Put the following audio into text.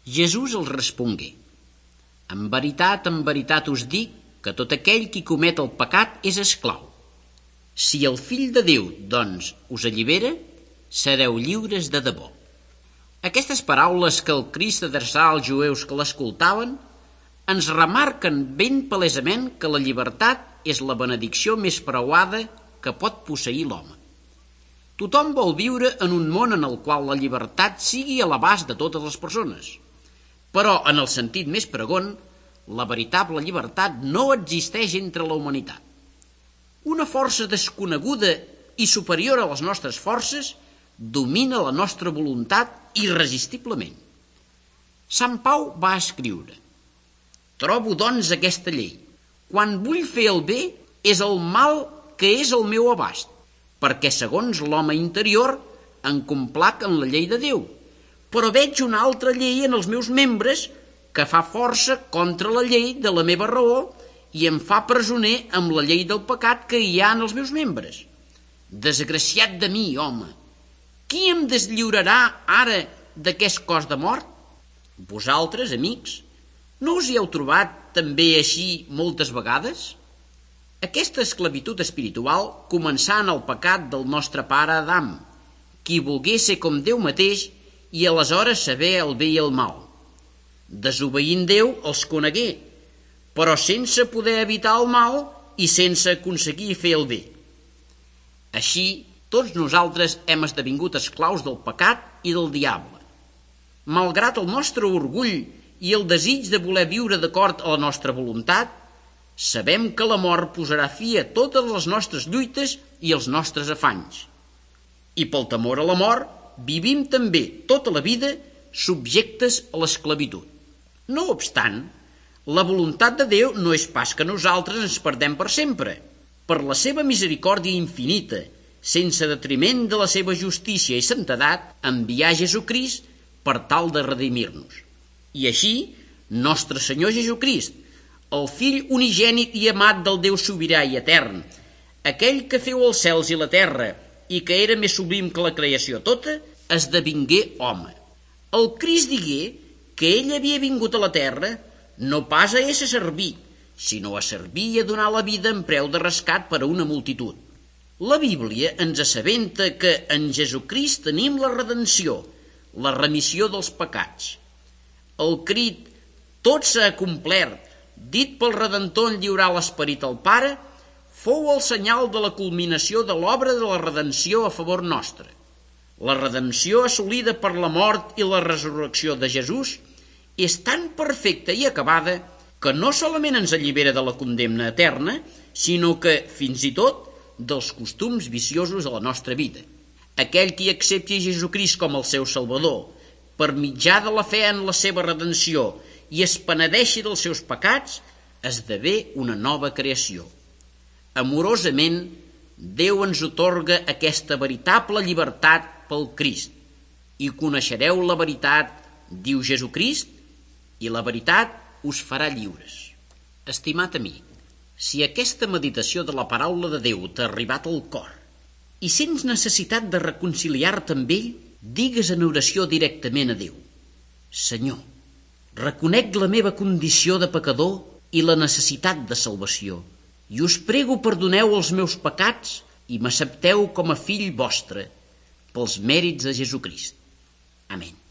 Jesús els respongué: en veritat us dic que tot aquell qui comet el pecat és esclau. Si el Fill de Déu, doncs, us allibera, sereu lliures de debò. Aquestes paraules que el Crist adreçava als jueus que l'escoltaven ens remarquen ben palesament que la llibertat és la benedicció més preuada que pot posseir l'home. Tothom vol viure en un món en el qual la llibertat sigui a l'abast de totes les persones. Però, en el sentit més pregon, la veritable llibertat no existeix entre la humanitat. Una força desconeguda i superior a les nostres forces domina la nostra voluntat irresistiblement. Sant Pau va escriure: trobo, doncs, aquesta llei. Quan vull fer el bé, és el mal que és al meu abast, perquè segons l'home interior em complac en la llei de Déu, però veig una altra llei en els meus membres que fa força contra la llei de la meva raó i em fa presoner amb la llei del pecat que hi ha en els meus membres. Desgraciat de mi, home! Qui em deslliurarà ara d'aquest cos de mort? Vosaltres, amics, no us hi heu trobat també així moltes vegades? Aquesta esclavitud espiritual començà en el pecat del nostre pare Adam, qui volgué ser com Déu mateix i aleshores saber el bé i el mal. Desobeint Déu els conegué, però sense poder evitar el mal i sense aconseguir fer el bé. Així, tots nosaltres hem esdevingut esclaus del pecat i del diable. Malgrat el nostre orgull i el desig de voler viure d'acord a la nostra voluntat, sabem que la mort posarà fi a totes les nostres lluites i els nostres afanys. I pel temor a la mort, vivim també tota la vida subjectes a l'esclavitud. No obstant, la voluntat de Déu no és pas que nosaltres ens perdem per sempre. Per la seva misericòrdia infinita, sense detriment de la seva justícia i santedat, envià Jesucrist per tal de redimir-nos. I així, nostre Senyor Jesucrist, el Fill unigènit i amat del Déu sobirà i etern, aquell que feu els cels i la terra i que era més sublim que la creació tota, esdevingué home. El Crist digué que ell havia vingut a la terra no pas a ésser servir, sinó a servir i a donar la vida en preu de rescat per a una multitud. La Bíblia ens assabenta que en Jesucrist tenim la redenció, la remissió dels pecats. El crit «Tot s'ha complert», dit pel Redentor en lliurar l'esperit al Pare, fou el senyal de la culminació de l'obra de la redenció a favor nostre. La redempció assolida per la mort i la resurrecció de Jesús és tan perfecta i acabada que no solament ens allibera de la condemna eterna, sinó que, fins i tot, dels costums viciosos de la nostra vida. Aquell qui accepti Jesucrist com el seu Salvador, per mitjà de la fe en la seva redenció i es penedeixi dels seus pecats, esdevé una nova creació. Amorosament, Déu ens atorga aquesta veritable llibertat pel Crist. I coneixereu la veritat, diu Jesucrist, i la veritat us farà lliures. Estimat amic, si aquesta meditació de la paraula de Déu t'ha arribat al cor i sents necessitat de reconciliar-te amb ell, digues en oració directament a Déu: Senyor, reconec la meva condició de pecador i la necessitat de salvació, i us prego perdoneu els meus pecats i m'accepteu com a fill vostre, pels mèrits de Jesucrist. Amén.